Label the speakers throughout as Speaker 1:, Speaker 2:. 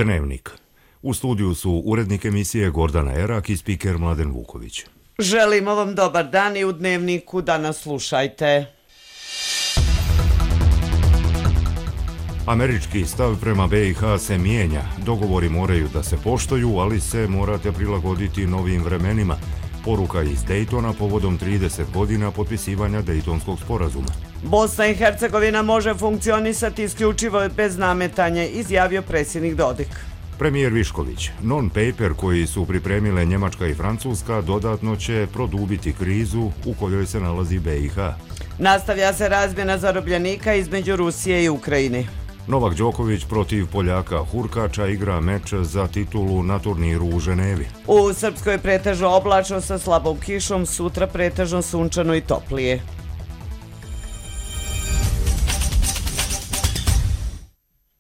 Speaker 1: Dnevnik. U studiju su urednik emisije Gordana Erak i spiker Mladen Vuković.
Speaker 2: Želimo vam dobar dan i u Dnevniku danas slušajte.
Speaker 1: Američki stav prema BiH se mijenja. Dogovori moraju da se poštuju, ali se morate prilagoditi novim vremenima. Poruka iz Daytona povodom 30 godina potpisivanja Daytonskog sporazuma.
Speaker 2: Bosna i Hercegovina može funkcionisati isključivo bez nametanja, izjavio predsjednik Dodik.
Speaker 1: Premijer Višković, non-paper koji su pripremile Njemačka i Francuska dodatno će produbiti krizu u kojoj se nalazi BiH.
Speaker 2: Nastavlja se razmjena zarobljenika između Rusije i Ukrajine.
Speaker 1: Novak Đoković protiv Poljaka Hurkača igra meč za titulu na turniru u Ženevi.
Speaker 2: U Srpskoj pretežno oblačno sa slabom kišom, sutra pretežno sunčano i toplije.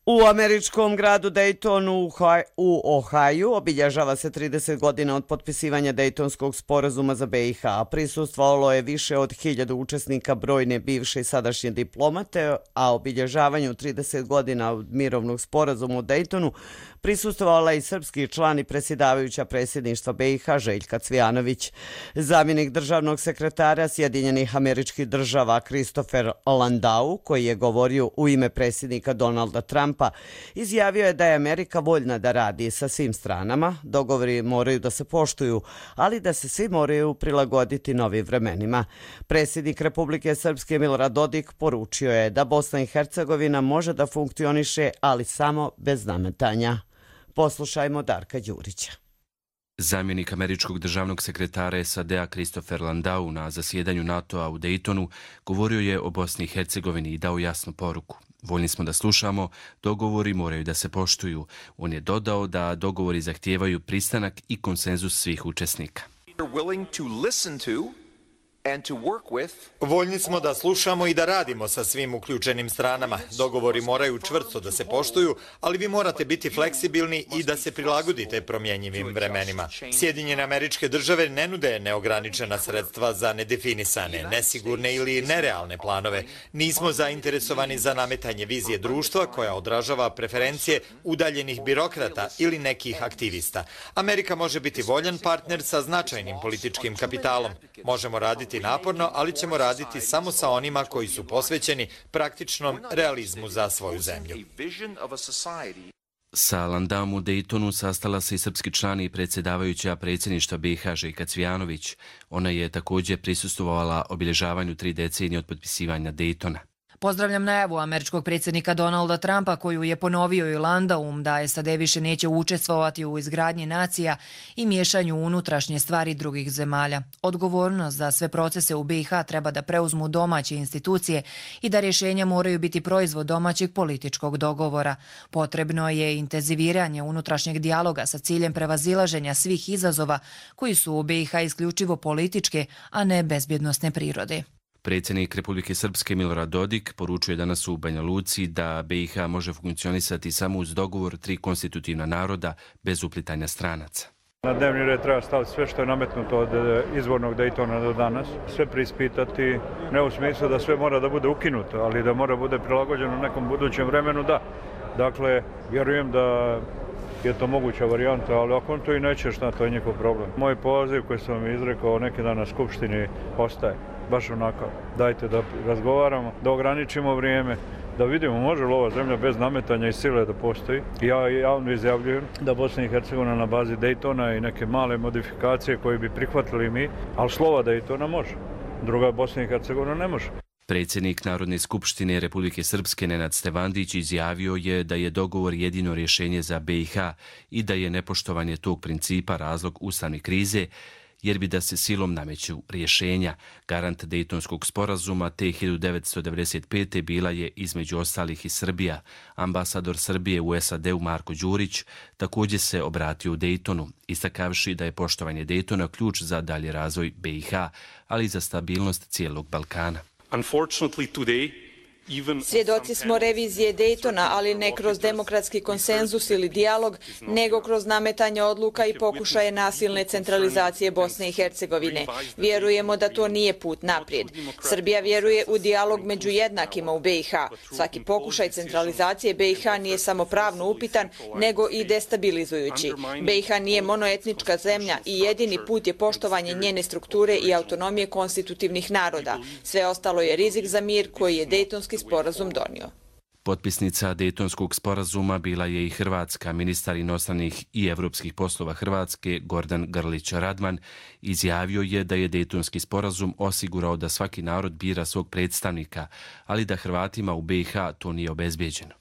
Speaker 2: U američkom gradu Daytonu u Ohaju obilježava se 30 godina od potpisivanja Daytonskog sporazuma za BiH. Prisustvovalo je više od 1000 učesnika, brojne bivše i sadašnje diplomate, a obilježavanju 30 godina od mirovnog sporazuma u Daytonu prisustvovala i srpski član i predsjedavajuća predsjedništva BiH Željka Cvijanović. Zamjenik državnog sekretara Sjedinjenih Američkih Država Christopher Landau, koji je govorio u ime predsjednika Donalda Trumpa, izjavio je da je Amerika voljna da radi sa svim stranama. Dogovori moraju da se poštuju, ali da se svi moraju prilagoditi novim vremenima. Predsjednik Republike Srpske Milorad Dodik poručio je da Bosna i Hercegovina može da funkcioniše, ali samo bez nametanja. Poslušajmo Darka Đurića.
Speaker 3: Zamjenik američkog državnog sekretara SAD-a Christopher Landau na zasjedanju NATO-a u Daytonu govorio je o Bosni i Hercegovini i dao jasnu poruku. Voljni smo da slušamo, dogovori moraju da se poštuju. On je dodao da dogovori zahtijevaju pristanak i konsenzus svih učesnika.
Speaker 4: Voljni smo da slušamo i da radimo sa svim uključenim stranama. Dogovori moraju čvrsto da se poštuju, ali vi morate biti fleksibilni i da se prilagodite promjenjivim vremenima. Sjedinjene Američke Države ne nude neograničena sredstva za nedefinisane, nesigurne ili nerealne planove. Nismo zainteresovani za nametanje vizije društva koja odražava preferencije udaljenih birokrata ili nekih aktivista. Amerika može biti voljan partner sa značajnim političkim kapitalom. Možemo raditi naporno, ali ćemo raditi samo sa onima koji su posvećeni praktičnom realizmu za svoju zemlju.
Speaker 3: Sa Landaum u Daytonu sastala se i srpski član i predsjedavajuća predsjedništva BiH Željka Cvijanović. Ona je također prisustvovala obilježavanju 3 decenije od potpisivanja Daytona.
Speaker 5: Pozdravljam najavu američkog predsjednika Donalda Trumpa koju je ponovio i Landaum da SAD više neće učestvovati u izgradnji nacija i miješanju u unutrašnje stvari drugih zemalja. Odgovornost za sve procese u BiH treba da preuzmu domaće institucije i da rješenja moraju biti proizvod domaćeg političkog dogovora. Potrebno je intenziviranje unutrašnjeg dijaloga sa ciljem prevazilaženja svih izazova koji su u BiH isključivo političke, a ne bezbjednosne prirode.
Speaker 3: Predsjednik Republike Srpske Milorad Dodik poručuje danas u Banja Luci da BiH može funkcionisati samo uz dogovor 3 konstitutivna naroda bez uplitanja stranaca.
Speaker 6: Na dnevni red treba staviti sve što je nametnuto od izvornog Daytona do danas. Sve preispitati, ne u smislu da sve mora da bude ukinuto, ali da mora bude prilagođeno nekom budućem vremenu, da. Dakle, vjerujem da je to moguća varijanta, ali ako on to i neće, šta, to je njihov problem. Moj poziv koji sam vam izrekao neki dan na Skupštini ostaje. Baš onako, dajte da razgovaramo, da ograničimo vrijeme, da vidimo može li ova zemlja bez nametanja i sile da postoji. Ja javno izjavljujem da Bosna i Hercegovina na bazi Daytona i neke male modifikacije koje bi prihvatili mi, ali slova Daytona može, druga Bosna i Hercegovina ne može.
Speaker 3: Predsjednik Narodne skupštine Republike Srpske Nenad Stevandić izjavio je da je dogovor jedino rješenje za BiH i da je nepoštovanje tog principa razlog ustavne krize, jer bi da se silom nameću rješenja. Garant Daytonskog sporazuma te 1995. bila je između ostalih i Srbija. Ambasador Srbije u SAD-u Marko Đurić također se obratio u Daytonu, istakavši da je poštovanje Daytona ključ za dalji razvoj BiH, ali i za stabilnost cijelog Balkana.
Speaker 7: Unfortunately today, Svjedoci smo revizije Daytona, ali ne kroz demokratski konsenzus ili dijalog, nego kroz nametanje odluka i pokušaje nasilne centralizacije Bosne i Hercegovine. Vjerujemo da to nije put naprijed. Srbija vjeruje u dijalog među jednakima u BiH. Svaki pokušaj centralizacije BiH nije samo pravno upitan, nego i destabilizujući. BiH nije monoetnička zemlja i jedini put je poštovanje njene strukture i autonomije konstitutivnih naroda. Sve ostalo je rizik za mir koji je Dejtonski sporazum donio.
Speaker 3: Potpisnica Dejtonskog sporazuma bila je i Hrvatska. Ministar inostranih i evropskih poslova Hrvatske, Gordan Grlić Radman, izjavio je da je Dejtonski sporazum osigurao da svaki narod bira svog predstavnika, ali da Hrvatima u BiH to nije obezbijeđeno.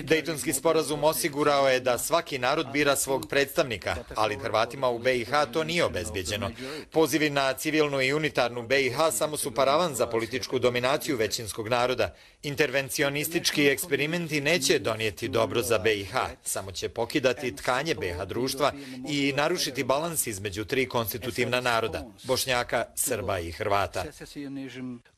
Speaker 4: Dejtonski sporazum osigurao je da svaki narod bira svog predstavnika, ali Hrvatima u BiH to nije obezbijeđeno. Pozivi na civilnu i unitarnu BiH samo su paravan za političku dominaciju većinskog naroda. Intervencionistički eksperimenti neće donijeti dobro za BiH, samo će pokidati tkanje BiH društva i narušiti balans između tri konstitutivna naroda, Bošnjaka, Srba i Hrvata.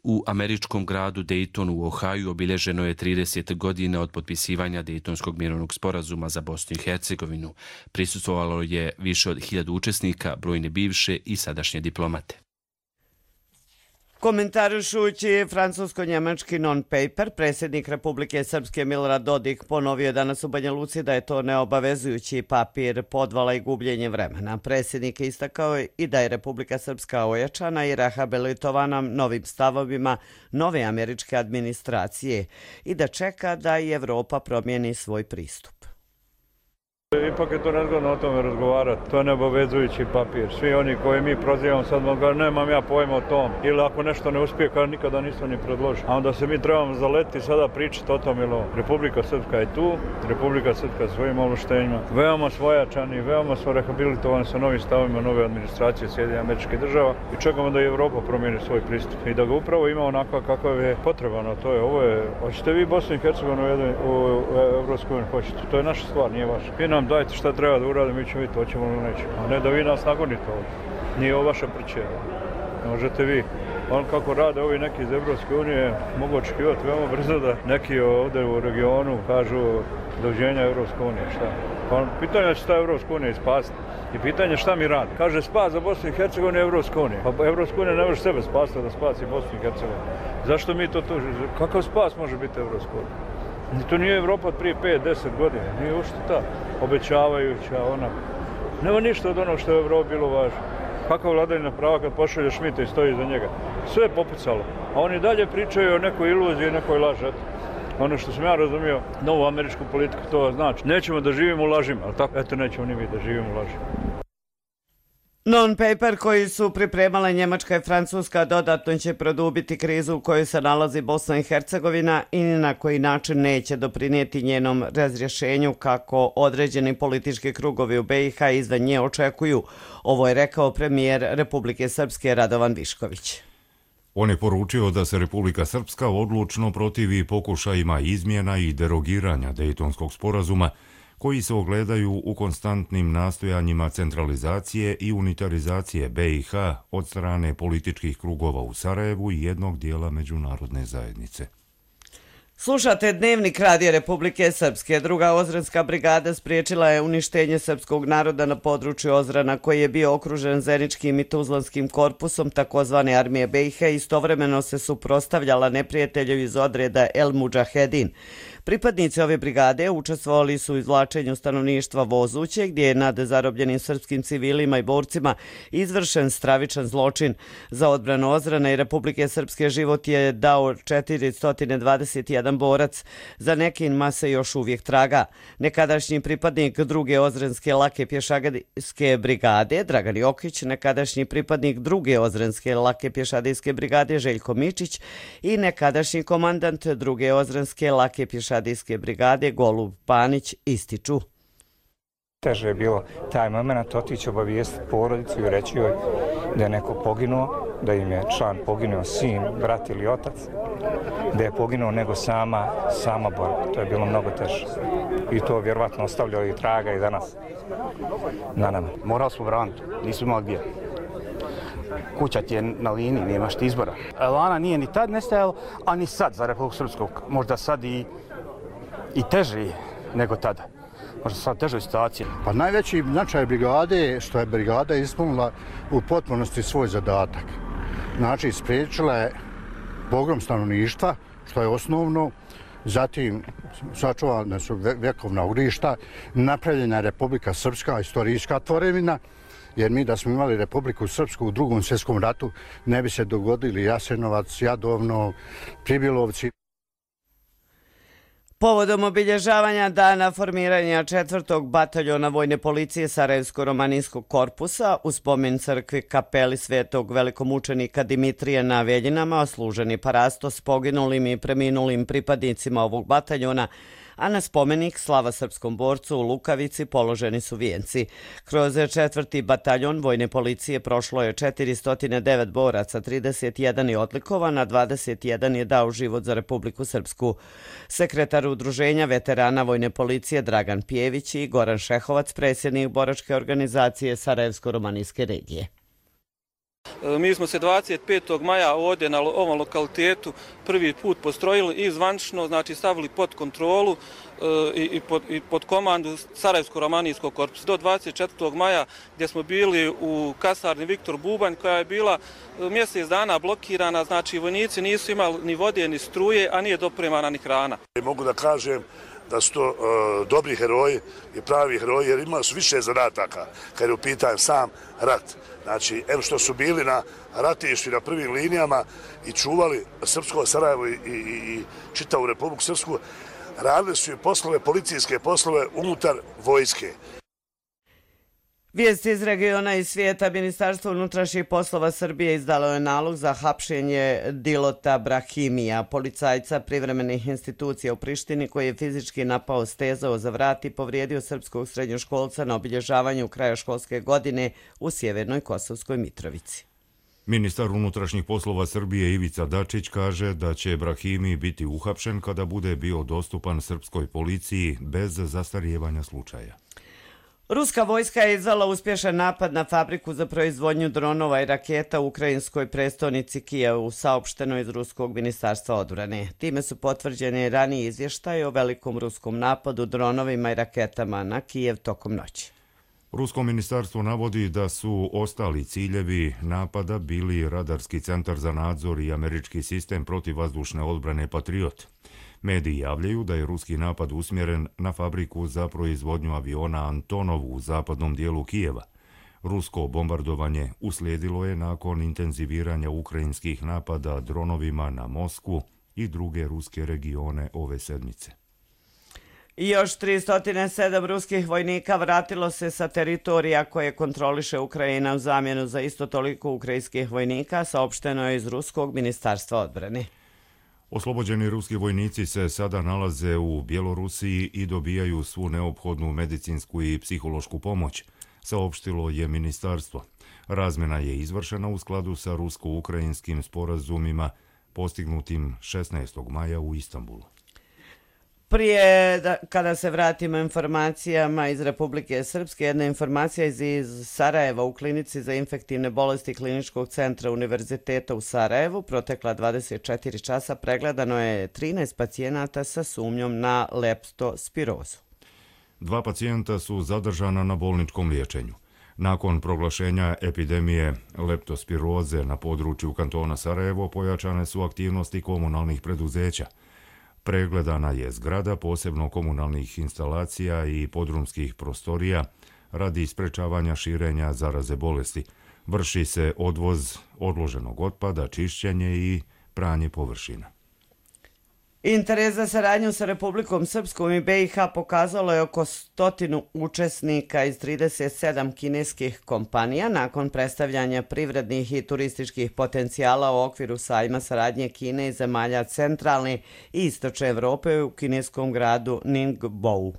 Speaker 3: U američkom gradu Daytonu u Ohaju obilježeno je 30 godina od potpisivanja Dejtonskog mirovnog sporazuma za Bosnu i Hercegovinu. Prisustvovalo je više od 1000 učesnika, brojne bivše i sadašnje diplomate.
Speaker 2: Komentarišući francusko-njemački non-paper, predsjednik Republike Srpske Milorad Dodik ponovio je danas u Banja Luci da je to neobavezujući papir podvala i gubljenje vremena. Predsjednik je istakao i da je Republika Srpska ojačana i rehabilitovana novim stavovima nove američke administracije i da čeka da i Evropa promijeni svoj pristup.
Speaker 6: Ipak je to nezgodno o tome razgovarati. To je neobavezujući papir. Svi oni koji mi prozivamo sad mogu kažu nemam ja pojma o tom. Ili ako nešto ne uspije, kao nikada nisam ni predložio. A onda se mi trebamo zaleti sada pričati o tom ili ovo. Republika Srpska je tu, Republika Srpska svojim ovlaštenjima. Veoma svojačani, veoma smo rehabilitovani sa novim stavima nove administracije Sjedinjenih Američkih Država i čekamo da i Evropa promijeni svoj pristup. I da ga upravo ima onako kakav je potrebano. To je, ovo je, hoćete vi Bosnu i Hercegovinu u Evropskoj uniji, hoćete. To je naša stvar, nije vaša. Dajte šta treba da uradimo, mi ćemo vidjeti, hoćemo ili nećemo. A ne da vi nas nagonite ovdje. Nije ovo vaša pričeva. Ne možete vi. On kako rade ovi neki iz Evropske unije, mogu očekivati veoma brzo da neki ovdje u regionu kažu doviđenja Evropske unije. Šta? Pa pitanje je šta Evropska unija spasiti. I pitanje je šta mi radi. Kaže spas za Bosnu i Hercegovinu je Evropska unija. Pa Evropska unija ne može sebe spasiti da spasi Bosnu i Hercegovinu. Zašto mi to tužimo? Kakav spas može biti Evropska unija? To nije Evropa od prije 5-10 godina, nije uopšte ta obećavajuća, ona. Nema ništa od onog što je u Evropi bilo važno. Kakva vladavina prava kad pošalje Šmita i stoji iza njega? Sve je popucalo, a oni dalje pričaju o nekoj iluziji i nekoj laži. Ono što sam ja razumio, novu američku politiku to znači. Nećemo da živimo u lažima, ali tako? Eto, nećemo ni mi da živimo u lažima.
Speaker 2: Non-paper koji su pripremale Njemačka i Francuska dodatno će produbiti krizu u kojoj se nalazi Bosna i Hercegovina i ni na koji način neće doprinijeti njenom razrješenju kako određeni politički krugovi u BiH izvan nje očekuju. Ovo je rekao premijer Republike Srpske Radovan Višković.
Speaker 1: On je poručio da se Republika Srpska odlučno protivi pokušajima izmjena i derogiranja Dejtonskog sporazuma koji se ogledaju u konstantnim nastojanjima centralizacije i unitarizacije BiH od strane političkih krugova u Sarajevu i jednog dijela međunarodne zajednice.
Speaker 2: Slušate Dnevnik Radija Republike Srpske. Druga Ozrenska brigada spriječila je uništenje srpskog naroda na području Ozrana koji je bio okružen Zeničkim i Tuzlanskim korpusom takozvane armije BiH i istovremeno se suprotstavljala neprijatelju iz odreda El Mudžahedin. Pripadnici ove brigade učestvovali su u izvlačenju stanovništva Vozuće, gdje je nad zarobljenim srpskim civilima i borcima izvršen stravičan zločin. Za odbranu Ozrana i Republike Srpske život je dao 421 borac. Za nekima se još uvijek traga. Nekadašnji pripadnik druge Ozrenske lake pješadijske brigade Dragan Jokić, nekadašnji pripadnik druge Ozrenske lake pješadijske brigade Željko Mičić i nekadašnji komandant druge Ozrenske lake pješadijske brigade Golub Panić ističu.
Speaker 8: Teže je bilo taj moment otići obavijestiti porodicu i reći joj da je neko poginuo, da im je član poginuo, sin, brat ili otac, da je poginuo nego sama borba. To je bilo mnogo teže. I to vjerovatno ostavljalo i traga i danas na nama.
Speaker 9: Morali smo braniti, nismo imali gdje. kuća ti je na liniji, nemaš ti izbora. Elana nije ni tad nestajalo, a ni sad za Republiku Srpsku. Možda sad i teži nego tada. Možda sad težoj situaciji.
Speaker 10: Pa najveći značaj brigade je što je brigada ispunila u potpunosti svoj zadatak. Znači, spriječila je pogrom stanovništva, što je osnovno, zatim sačuvana su vjekovna ugrišta, napravljena je Republika Srpska, istorijska tvorevina, jer mi da smo imali Republiku Srpsku u Drugom svjetskom ratu ne bi se dogodili Jasenovac, Jadovno, Pribilovci.
Speaker 2: Povodom obilježavanja dana formiranja 4. bataljona Vojne policije Sarajevsko-romanijskog korpusa u spomen crkvi kapeli svetog velikomučenika Dimitrija na Veljinama oslužen je parastos poginulim i preminulim pripadnicima ovog bataljona, a na spomenik slava srpskom borcu u Lukavici položeni su vijenci. Kroz 4. bataljon Vojne policije prošlo je 409 boraca, 31 je odlikovan, a 21 je dao život za Republiku Srpsku. Sekretar Udruženja veterana Vojne policije Dragan Pijević i Goran Šehovac, predsjednik boračke organizacije Sarajevsko-romanijske regije.
Speaker 11: Mi smo se 25. maja ovdje na ovom lokalitetu prvi put postrojili i zvančno, znači stavili pod kontrolu i pod komandu Sarajevsko-romanijskog korpusa. Do 24. maja gdje smo bili u kasarni Viktor Bubanj koja je bila mjesec dana blokirana, znači vojnici nisu imali ni vode ni struje, a nije dopremana ni hrana.
Speaker 12: Mogu da kažem da su to dobri heroji i pravi heroji jer imali su više zadataka kad je u pitanju sam rat. Znači, evo što su bili na ratištu i na prvim linijama i čuvali Srpsko Sarajevo i čitavu Republiku Srpsku, radili su i poslove, policijske poslove unutar vojske.
Speaker 2: Vijesti iz regiona i svijeta. Ministarstvo unutrašnjih poslova Srbije izdalo je nalog za hapšenje Dilota Brahimija, policajca privremenih institucija u Prištini koji je fizički napao, stezao za vrat i povrijedio srpskog srednjoškolca na obilježavanju kraja školske godine u sjevernoj Kosovskoj Mitrovici.
Speaker 1: Ministar unutrašnjih poslova Srbije Ivica Dačić kaže da će Brahimi biti uhapšen kada bude bio dostupan srpskoj policiji bez zastarijevanja slučaja.
Speaker 2: Ruska vojska je izvela uspješan napad na fabriku za proizvodnju dronova i raketa u ukrajinskoj prestonici Kijevu, saopšteno iz Ruskog ministarstva odbrane. Time su potvrđeni raniji izvještaji o velikom ruskom napadu dronovima i raketama na Kijev tokom noći.
Speaker 1: Rusko ministarstvo navodi da su ostali ciljevi napada bili radarski centar za nadzor i američki sistem protivvazdušne odbrane Patriot. Mediji javljaju da je ruski napad usmjeren na fabriku za proizvodnju aviona Antonov u zapadnom dijelu Kijeva. Rusko bombardovanje uslijedilo je nakon intenziviranja ukrajinskih napada dronovima na Moskvu i druge ruske regione ove sedmice.
Speaker 2: I još 307 ruskih vojnika vratilo se sa teritorija koje kontroliše Ukrajina u zamjenu za isto toliko ukrajinskih vojnika, saopšteno je iz Ruskog ministarstva odbrane.
Speaker 1: Oslobođeni ruski vojnici se sada nalaze u Bjelorusiji i dobijaju svu neophodnu medicinsku i psihološku pomoć, saopštilo je ministarstvo. Razmjena je izvršena u skladu sa rusko-ukrajinskim sporazumima postignutim 16. maja u Istanbulu.
Speaker 2: Prije, kada se vratimo informacijama iz Republike Srpske, jedna informacija iz Sarajeva u klinici za infektivne bolesti Kliničkog centra Univerziteta u Sarajevu. Protekla 24 časa pregledano je 13 pacijenata sa sumnjom na leptospirozu.
Speaker 1: 2 pacijenta su zadržana na bolničkom liječenju. Nakon proglašenja epidemije leptospiroze na području kantona Sarajevo pojačane su aktivnosti komunalnih preduzeća. Pregledana je zgrada, posebno komunalnih instalacija i podrumskih prostorija radi sprečavanja širenja zaraze bolesti. Vrši se odvoz odloženog otpada, čišćenje i pranje površina.
Speaker 2: Interes za saradnju sa Republikom Srpskom i BiH pokazalo je oko 100 učesnika iz 37 kineskih kompanija nakon predstavljanja privrednih i turističkih potencijala u okviru sajma saradnje Kine i zemalja centralne i istočne Evrope u kineskom gradu Ningbo.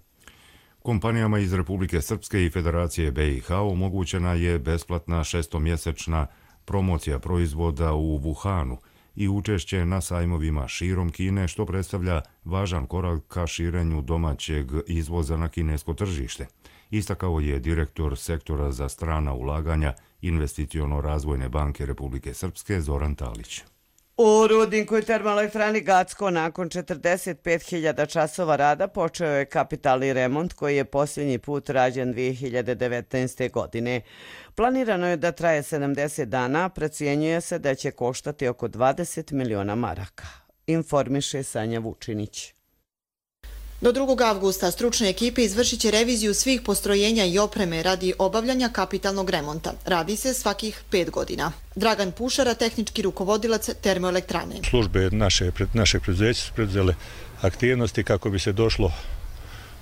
Speaker 1: Kompanijama iz Republike Srpske i Federacije BiH omogućena je besplatna 6-mjesečna promocija proizvoda u Wuhanu i učešće na sajmovima širom Kine, što predstavlja važan korak ka širenju domaćeg izvoza na kinesko tržište. istakao je direktor sektora za strana ulaganja Investiciono-razvojne banke Republike Srpske Zoran Talić.
Speaker 2: U rudniku i termoelektrani Gacko nakon 45.000 časova rada počeo je kapitalni remont koji je posljednji put rađen 2019. godine. Planirano je da traje 70 dana, procjenjuje se da će koštati oko 20 miliona maraka. Informiše Sanja Vučinić.
Speaker 13: Do 2. avgusta stručne ekipe izvršit će reviziju svih postrojenja i opreme radi obavljanja kapitalnog remonta. Radi se svakih 5 godina. Dragan Pušara, tehnički rukovodilac termoelektrane.
Speaker 14: Službe našeg preduzeća su preduzele aktivnosti kako bi se došlo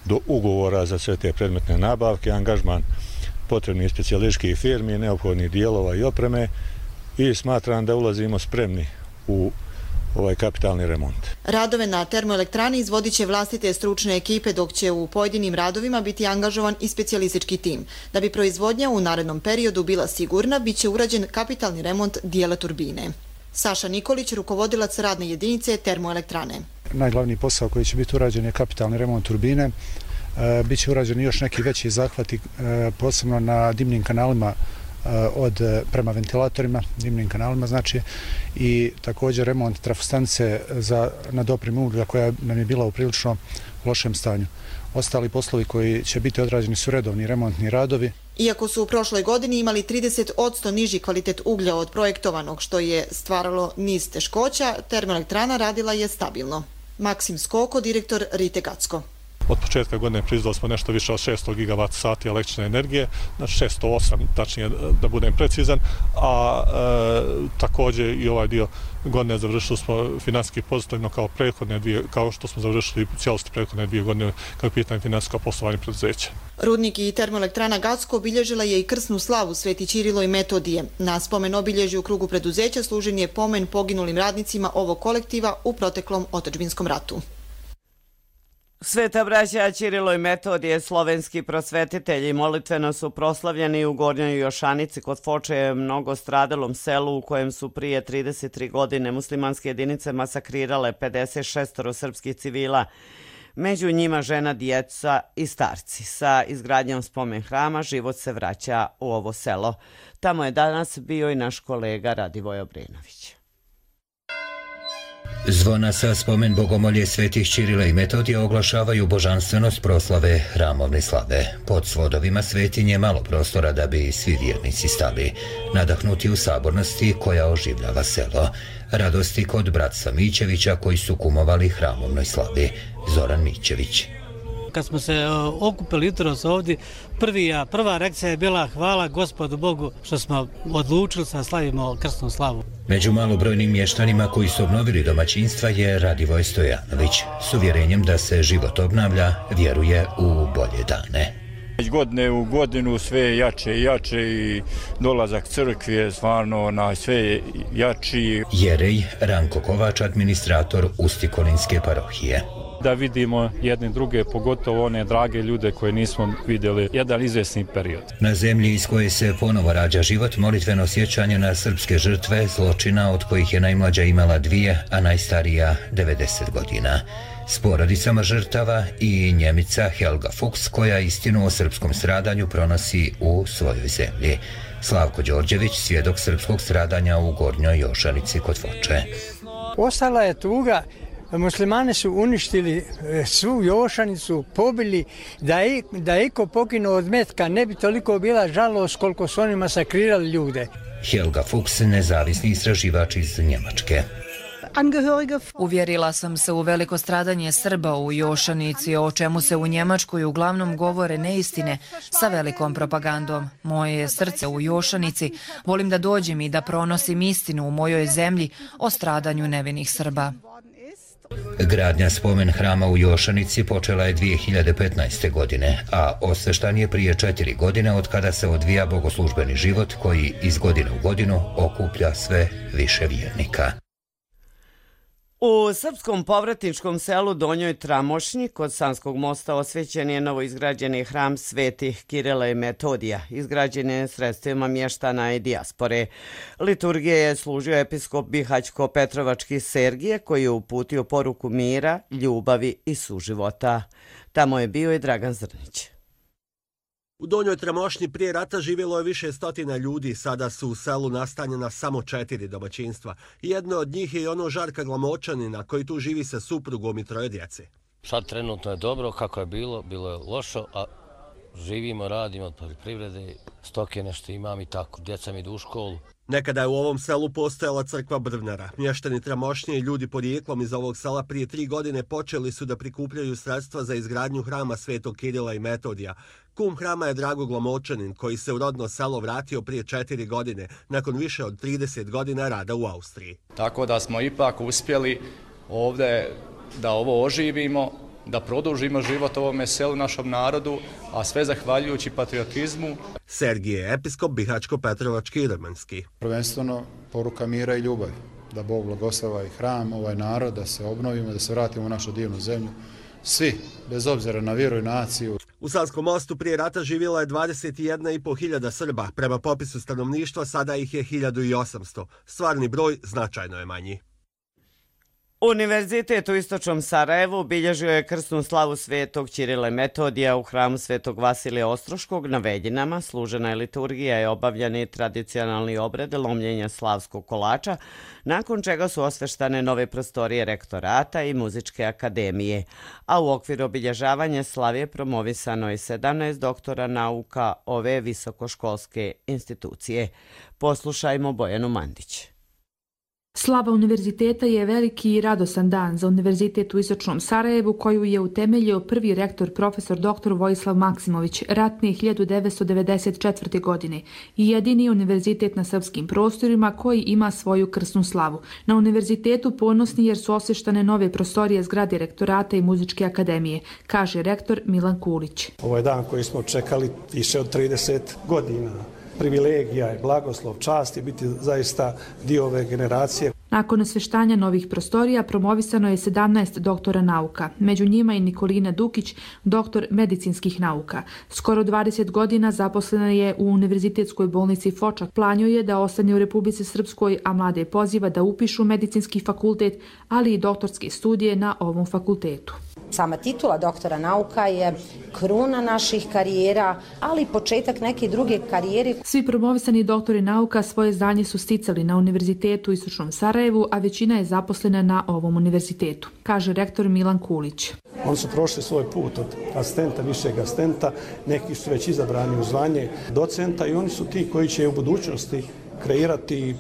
Speaker 14: do ugovora za sve te predmetne nabavke, angažman potrebnih specijalističkih firmi, neophodnih dijelova i opreme i smatram da ulazimo spremni u ovaj kapitalni remont.
Speaker 13: Radove na termoelektrani izvodit će vlastite stručne ekipe, dok će u pojedinim radovima biti angažovan i specijalistički tim. Da bi proizvodnja u narednom periodu bila sigurna, bit će urađen kapitalni remont dijela turbine. Saša Nikolić, rukovodilac radne jedinice termoelektrane.
Speaker 15: Najglavniji posao koji će biti urađen je kapitalni remont turbine. Biće urađeni još neki veći zahvati, posebno na dimnim kanalima prema ventilatorima, dimnim kanalima znači, i također remont trafostanice na dopremu uglja koja nam je bila u prilično lošem stanju. Ostali poslovi koji će biti odrađeni su redovni remontni radovi.
Speaker 13: Iako su u prošloj godini imali 30% niži kvalitet uglja od projektovanog, što je stvaralo niz teškoća, termoelektrana radila je stabilno. Maksim Skoko, direktor Rite Gacko.
Speaker 14: Od početka godine proizveli smo nešto više od 600 gigavat sati električne energije, znači 608, tačnije da budem precizan, a također i ovaj dio godine završili smo finansijski pozitivno kao što smo završili cijelosti prethodne 2 godine kao je pitanje finansijsko poslovanje preduzeća.
Speaker 13: Rudnik i termoelektrana Gacko obilježila je i krsnu slavu Sveti Ćirilo i Metodije. Na spomen obilježju u krugu preduzeća služen je pomen poginulim radnicima ovog kolektiva u proteklom otadžbinskom ratu.
Speaker 2: Sveta braća Ćirilo i Metodije, slovenski prosvetitelji, molitveno su proslavljeni u Gornjoj Jošanici kod Foče, mnogo stradalom selu u kojem su prije 33 godine muslimanske jedinice masakrirale 56 srpskih civila, među njima žena, djeca i starci. Sa izgradnjom spomen hrama život se vraća u ovo selo. Tamo je danas bio i naš kolega Radivoj Obrenović.
Speaker 16: Zvona sa spomen bogomolje svetih Ćirila i Metodije oglašavaju božanstvenost proslave hramovne slave. Pod svodovima svetinje malo prostora da bi svi vjernici stali, nadahnuti u sabornosti koja oživljava selo. Radosti kod bratstva Mićevića koji su kumovali hramovnoj slavi. Zoran Mićević.
Speaker 17: Kad smo se okupili jutros ovdje, prva reakcija je bila hvala Gospodu Bogu što smo odlučili da slavimo krsnu slavu.
Speaker 16: Među malobrojnim mještanima koji su obnovili domaćinstva je Radivoj Stojanović. S uvjerenjem da se život obnavlja, vjeruje u bolje dane.
Speaker 18: Godine u godinu sve jače i jače i dolazak crkve je stvarno na sve jači.
Speaker 16: Jerej Ranko Kovač, administrator Ustikolinske parohije.
Speaker 18: Da vidimo jedne druge, pogotovo one drage ljude koje nismo vidjeli jedan izvjesni period.
Speaker 16: Na zemlji iz koje se ponovo rađa život, molitveno sjećanje na srpske žrtve zločina, od kojih je najmlađa imala 2, a najstarija 90 godina. S porodicama žrtava i Njemica Helga Fuchs, koja istinu o srpskom stradanju pronosi u svojoj zemlji. Slavko Đorđević, svjedok srpskog stradanja u Gornjoj Jošanici kod Foče.
Speaker 19: Ostala je tuga. Muslimani su uništili svu Jošanicu, pobili, da je iko poginuo od metka, ne bi toliko bila žalost koliko su oni masakrirali ljude.
Speaker 16: Helga Fuchs, nezavisni istraživač iz Njemačke.
Speaker 5: Uvjerila sam se u veliko stradanje Srba u Jošanici, o čemu se u Njemačkoj uglavnom govore neistine sa velikom propagandom. Moje je srce u Jošanici, volim da dođem i da pronosim istinu u mojoj zemlji o stradanju nevinih Srba.
Speaker 16: Gradnja spomen hrama u Jošanici počela je 2015. godine, a osveštan je prije 4 godine od kada se odvija bogoslužbeni život koji iz godine u godinu okuplja sve više vjernika.
Speaker 2: U srpskom povratničkom selu Donjoj Tramošnji kod Sanskog mosta osvećen je novoizgrađeni hram svetih Kirila i Metodija, izgrađen je sredstvima mještana i dijaspore. Liturgije je služio episkop Bihaćko-Petrovački Sergije, koji je uputio poruku mira, ljubavi i suživota. Tamo je bio i Dragan Zrnić.
Speaker 20: U Donjoj Tramošnji prije rata živjelo je više stotina ljudi, sada su u selu nastanjena samo 4 domaćinstva. Jedno od njih je i ono Žarka Glamočanina koji tu živi sa suprugom i 3 djece.
Speaker 21: Sad trenutno je dobro, kako je bilo je lošo, a živimo, radimo od poljoprivrede, stoke nešto imam i tako, djeca mi idu u školu.
Speaker 20: Nekada je u ovom selu postojala crkva Brvnara. Mještani Tramošnje i ljudi porijeklom iz ovog sela prije 3 godine počeli su da prikupljaju sredstva za izgradnju hrama Svetog Kirila i Metodija. Kum hrama je Drago Glamočanin, koji se u rodno selo vratio prije 4 godine, nakon više od 30 godina rada u Austriji.
Speaker 22: Tako da smo ipak uspjeli ovdje da ovo oživimo, da produžimo život ovome selu, našom narodu, a sve zahvaljujući patriotizmu.
Speaker 20: Sergije, episkop Bihačko-Petrovački i Rmanski.
Speaker 23: Prvenstveno poruka mira i ljubavi, da Bog blagoslava i hram, ovaj narod, da se obnovimo, da se vratimo u našu divnu zemlju. Svi, bez obzira na vjeru i naciju.
Speaker 20: U Savskom Mostu prije rata živjela je 21.500 Srba. Prema popisu stanovništva sada ih je 1800. Stvarni broj značajno je manji.
Speaker 2: Univerzitet u istočnom Sarajevu obilježio je krsnu slavu Svetog Ćirila i Metodija u hramu Svetog Vasilija Ostroškog na Veljinama. Služena je liturgija i obavljeni tradicionalni obred lomljenja slavskog kolača, nakon čega su osveštane nove prostorije rektorata i muzičke akademije. A u okviru obilježavanja slave promovisano je 17 doktora nauka ove visokoškolske institucije. Poslušajmo Bojanu Mandić.
Speaker 24: Slava univerziteta je veliki i radosan dan za Univerzitet u istočnom Sarajevu, koju je utemeljio prvi rektor profesor dr. Vojislav Maksimović ratne 1994. godine i jedini univerzitet na srpskim prostorima koji ima svoju krsnu slavu. Na univerzitetu ponosni jer su osveštane nove prostorije zgrade rektorata i muzičke akademije, kaže rektor Milan Kulić.
Speaker 25: Ovo je dan koji smo čekali više od 30 godina. Privilegija je, blagoslov, čast je biti zaista dio ove generacije.
Speaker 24: Nakon osveštanja novih prostorija promovisano je 17 doktora nauka, među njima i Nikolina Dukić, doktor medicinskih nauka. Skoro 20 godina zaposlena je u Univerzitetskoj bolnici Fočak. Plan joj je da ostane u Republici Srpskoj, a mlade poziva da upišu medicinski fakultet, ali i doktorske studije na ovom fakultetu.
Speaker 26: Sama titula doktora nauka je kruna naših karijera, ali i početak neke druge karijere.
Speaker 24: Svi promovisani doktori nauka svoje znanje su sticali na Univerzitetu u istočnom Sarajevu, a većina je zaposlena na ovom univerzitetu, kaže rektor Milan Kulić.
Speaker 25: Oni su prošli svoj put od asistenta, višeg asistenta, neki su već izabrani u zvanje docenta i oni su ti koji će u budućnosti kreirati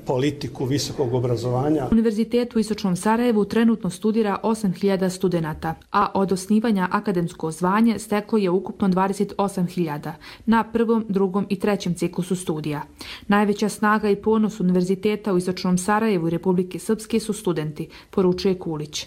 Speaker 25: politiku visokog obrazovanja.
Speaker 24: Univerzitet u istočnom Sarajevu trenutno studira 8.000 studenata, a od osnivanja akademsko zvanje steklo je ukupno 28.000 na 1., 2. i 3. ciklusu studija. Najveća snaga i ponos Univerziteta u istočnom Sarajevu i Republike Srpske su studenti, poručuje Kulić.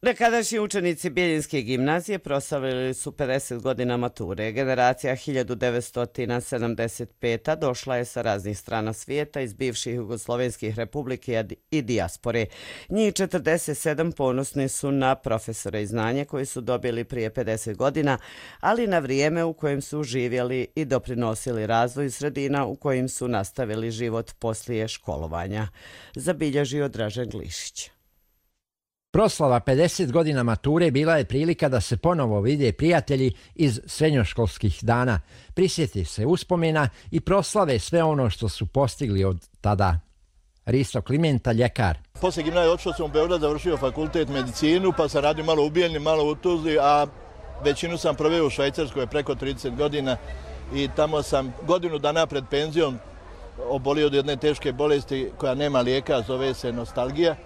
Speaker 2: Nekadašnji učenici Bijeljinske gimnazije proslavili su 50 godina mature. Generacija 1975. došla je sa raznih strana svijeta iz bivših jugoslovenskih republike i dijaspore. Njih 47 ponosni su na profesore i znanje koje su dobili prije 50 godina, ali na vrijeme u kojem su živjeli i doprinosili razvoju sredina u kojim su nastavili život poslije školovanja. Zabilježio Dražen Glišić.
Speaker 27: Proslava 50 godina mature bila je prilika da se ponovo vide prijatelji iz srednjoškolskih dana, prisjeti se uspomena i proslave sve ono što su postigli od tada. Risto Klimenta, ljekar.
Speaker 28: Poslije gimnazije odšao sam u Beograd, završio fakultet medicinu, pa sam radio malo u Bijeljini, malo u Tuzli, a većinu sam proveo u Švajcarskoj preko 30 godina i tamo sam godinu dana pred penzijom obolio od jedne teške bolesti koja nema lijeka, zove se nostalgija.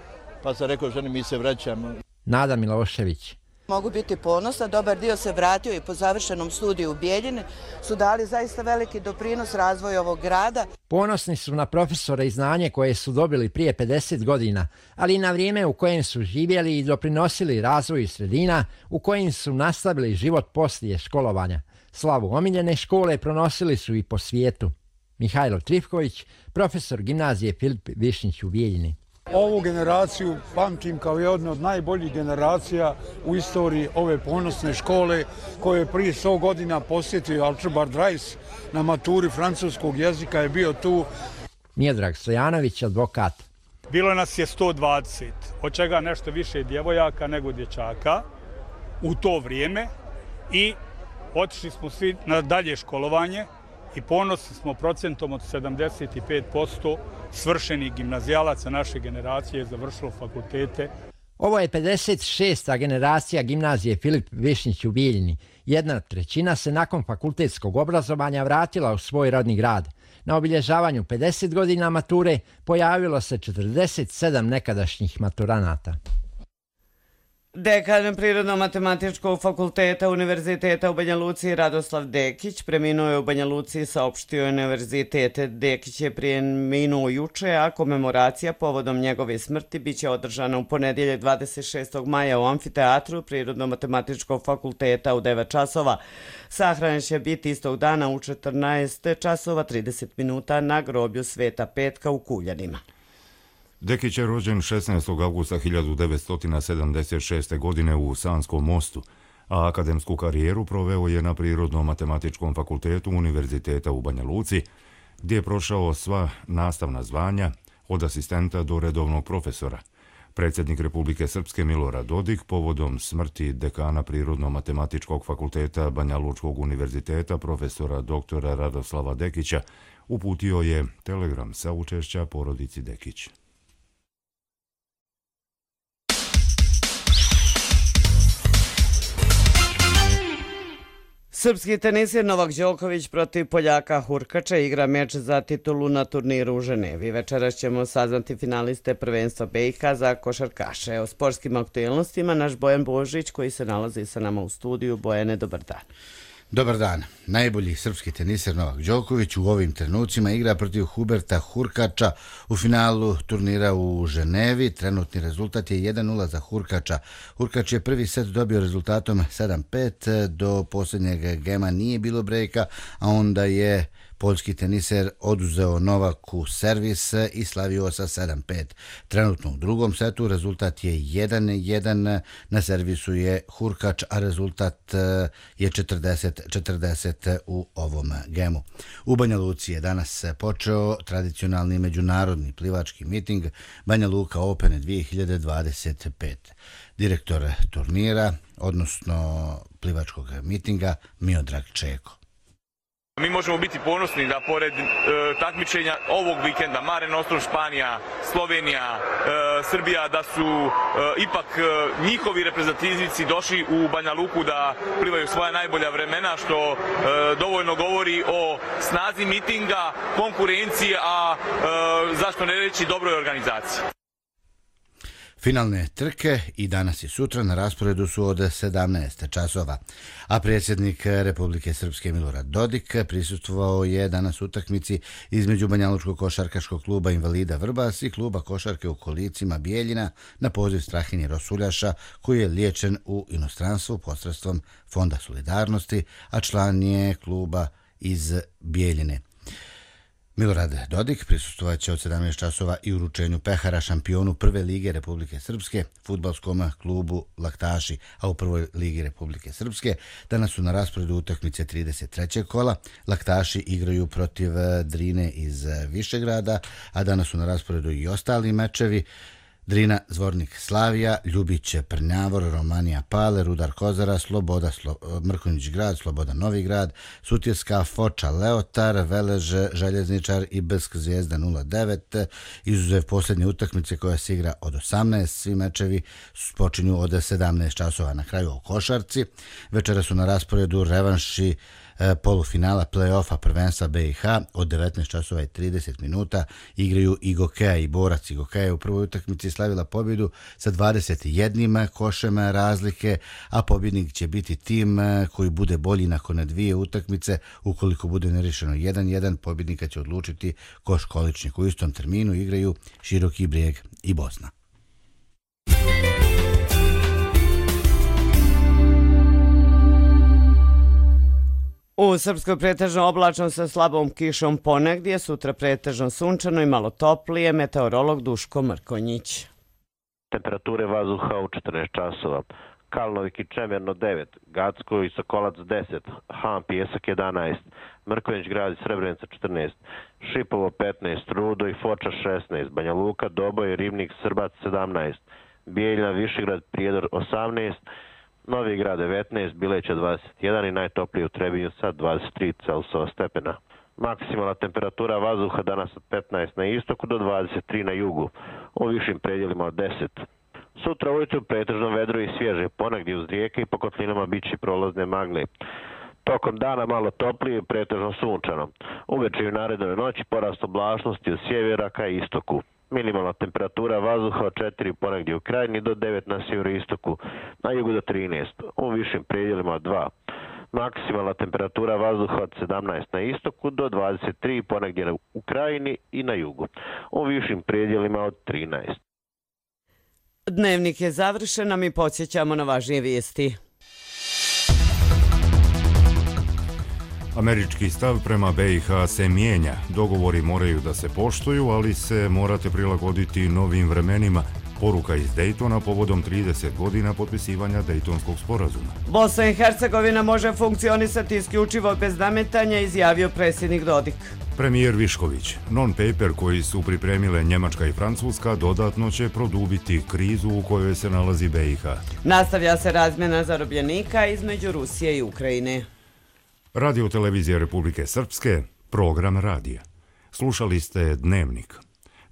Speaker 28: Pa sam rekao ženi, mi se vraćamo.
Speaker 27: Nada Milošević.
Speaker 29: Mogu biti ponosna, dobar dio se vratio i po završenom studiju u Bijeljini su dali zaista veliki doprinos razvoju ovog grada.
Speaker 27: Ponosni su na profesore i znanje koje su dobili prije 50 godina, ali i na vrijeme u kojem su živjeli i doprinosili razvoju sredina u kojim su nastavili život poslije školovanja. Slavu omiljene škole pronosili su i po svijetu. Mihajlo Trifković, profesor gimnazije Filip Višnjić u Bijeljini.
Speaker 30: Ovu generaciju pamtim kao jednu od najboljih generacija u istoriji ove ponosne škole koje je prije 100 godina posjetio Archibald Rice na maturi francuskog jezika, je bio tu.
Speaker 27: Miodrag Stojanović, advokat.
Speaker 31: Bilo nas je 120, od čega nešto više djevojaka nego dječaka u to vrijeme i otišli smo svi na dalje školovanje i ponosni smo procentom od 75% svršenih gimnazijalaca naše generacije završilo fakultete.
Speaker 27: Ovo je 56. generacija gimnazije Filip Višnjić u Bijeljini. 1/3 se nakon fakultetskog obrazovanja vratila u svoj rodni grad. Na obilježavanju 50 godina mature pojavilo se 47 nekadašnjih maturanata.
Speaker 2: Dekan Prirodno-matematičkog fakulteta Univerziteta u Banja Luci Radoslav Dekić preminuo je u Banja Luci, saopštio Univerzitet. Dekić je preminuo juče, a komemoracija povodom njegove smrti biće održana u ponedjeljak 26. maja u amfiteatru Prirodno-matematičkog fakulteta u 9 časova. Sahranjen će biti istog dana u 14 časova 30 minuta na groblju Sveta Petka u Kuljanima.
Speaker 1: Dekić je rođen 16. augusta 1976. godine u Sanskom Mostu, a akademsku karijeru proveo je na Prirodno-matematičkom fakultetu Univerziteta u Banja Luci, gdje je prošao sva nastavna zvanja od asistenta do redovnog profesora. Predsjednik Republike Srpske Milorad Dodik povodom smrti dekana Prirodno-matematičkog fakulteta Banja Lučkog univerziteta profesora dr. Radoslava Dekića uputio je telegram saučešća porodici Dekić.
Speaker 2: Srpski tenisir Novak Đoković protiv Poljaka Hurkača igra meč za titulu na turniru u Ženevi. Večeras ćemo saznati finaliste prvenstva BiH za košarkaše. O sportskim aktualnostima naš Bojan Božić koji se nalazi sa nama u studiju. Bojane, dobar dan.
Speaker 3: Dobar dan. Najbolji srpski teniser Novak Đoković u ovim trenucima igra protiv Huberta Hurkača u finalu turnira u Ženevi. Trenutni rezultat je 1-0 za Hurkača. Hurkač je prvi set dobio rezultatom 7-5. Do posljednjeg gema nije bilo brejka, a onda je poljski teniser oduzeo Novaku servis i slavio sa 7-5. Trenutno u drugom setu rezultat je 1-1. Na servisu je Hurkač, a rezultat je 40-40 u ovom gemu. U Banja Luci je danas počeo tradicionalni međunarodni plivački miting Banja Luka Open 2025. Direktor turnira, odnosno plivačkog mitinga, Miodrag Čeko.
Speaker 4: Mi možemo biti ponosni da pored takmičenja ovog vikenda Mare Nostrum, Španija, Slovenija, Srbija, da su ipak njihovi reprezentativci došli u Banja Luku da plivaju svoja najbolja vremena, što dovoljno govori o snazi mitinga, konkurencije, a zašto ne reći dobroj organizaciji.
Speaker 3: Finalne trke i danas i sutra na rasporedu su od 17 časova, a predsjednik Republike Srpske Milorad Dodik prisustvovao je danas utakmici između Banjalučkog košarkaškog kluba Invalida Vrbas i kluba košarke u Kolicima Bijeljina na poziv Strahinje Rosuljaša, koji je liječen u inostranstvu posredstvom Fonda solidarnosti, a član je kluba iz Bijeljine. Milorad Dodik prisustvovat će od 17 časova i uručenju pehara šampionu Prve lige Republike Srpske, fudbalskom klubu Laktaši, a u Prvoj ligi Republike Srpske danas su na rasporedu utakmice 33. kola. Laktaši igraju protiv Drine iz Višegrada, a danas su na rasporedu i ostali mečevi. Drina, Zvornik, Slavija, Ljubić, Prnjavor, Romanija, Pale, Rudar, Kozara, Sloboda, Mrkonjić grad, Sloboda, Novi grad, Sutjeska, Foča, Leotar, Velež, Željezničar i Brsk, Zvijezda 09. Izuzev posljednje utakmice koja se igra od 18, svi mečevi počinju od 17 časova. Na kraju o košarci. Večera su na rasporedu revanši polufinala play-offa prvenstva BiH od 19 časova i 30 minuta igraju i Gokeja i Borac. Gokeja je u prvoj utakmici slavila pobjedu sa 21 košem razlike, a pobjednik će biti tim koji bude bolji nakon dvije utakmice. Ukoliko bude nerešeno 1-1, pobjednika će odlučiti Koš Količnik. U istom terminu igraju Široki Brijeg i Bosna.
Speaker 2: U Srpskoj pretežno oblačno sa slabom kišom ponegdje, sutra pretežno sunčano i malo toplije, meteorolog Duško Mrkonjić.
Speaker 6: Temperature vazduha u 14 časova. Kalnovik i Čemerno 9, Gacko i Sokolac 10, Han Pijesak 11, Mrkonjić grad i Srebrenica 14, Šipovo 15, Rudo i Foča 16, Banja Luka, Doboj, Ribnik, Srbac 17, Bijeljina, Višegrad, Prijedor 18, Novi Grad 19, Bileća 21 i najtoplije u Trebinju sa 23 Celzijusova stepena. Maksimalna temperatura vazduha danas od 15 na istoku do 23 na jugu, u višim predjelima od 10. Sutra ujutru pretežno vedro i svježe, ponegdje uz rijeke i po kotlinama biće prolazne magle. Tokom dana malo toplije i pretežno sunčano. Uveče i u narednoj noći porast oblačnosti od sjevera ka istoku. Minimalna temperatura vazduha od 4 ponegdje u krajini do 9 na sjeveroistoku, na jugu do 13, u višim predjelima od 2. Maksimalna temperatura vazduha od 17 na istoku do 23 ponegdje u krajini i na jugu, u višim predjelima od 13.
Speaker 2: Dnevnik je završen, a mi podsjećamo na važnije vijesti.
Speaker 1: Američki stav prema BiH se mijenja. Dogovori moraju da se poštuju, ali se morate prilagoditi novim vremenima. Poruka iz Daytona povodom 30 godina potpisivanja Daytonskog sporazuma.
Speaker 2: Bosna i Hercegovina može funkcionisati isključivo bez nametanja, izjavio predsjednik Dodik.
Speaker 1: Premijer Višković, non-paper koji su pripremile Njemačka i Francuska dodatno će produbiti krizu u kojoj se nalazi BiH.
Speaker 2: Nastavlja se razmjena zarobljenika između Rusije i Ukrajine.
Speaker 1: Radio televizija Republike Srpske, program radija. Slušali ste Dnevnik.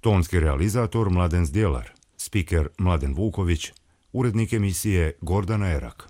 Speaker 1: Tonski realizator Mladen Zdjelar, spiker Mladen Vuković, urednik emisije Gordana Erak.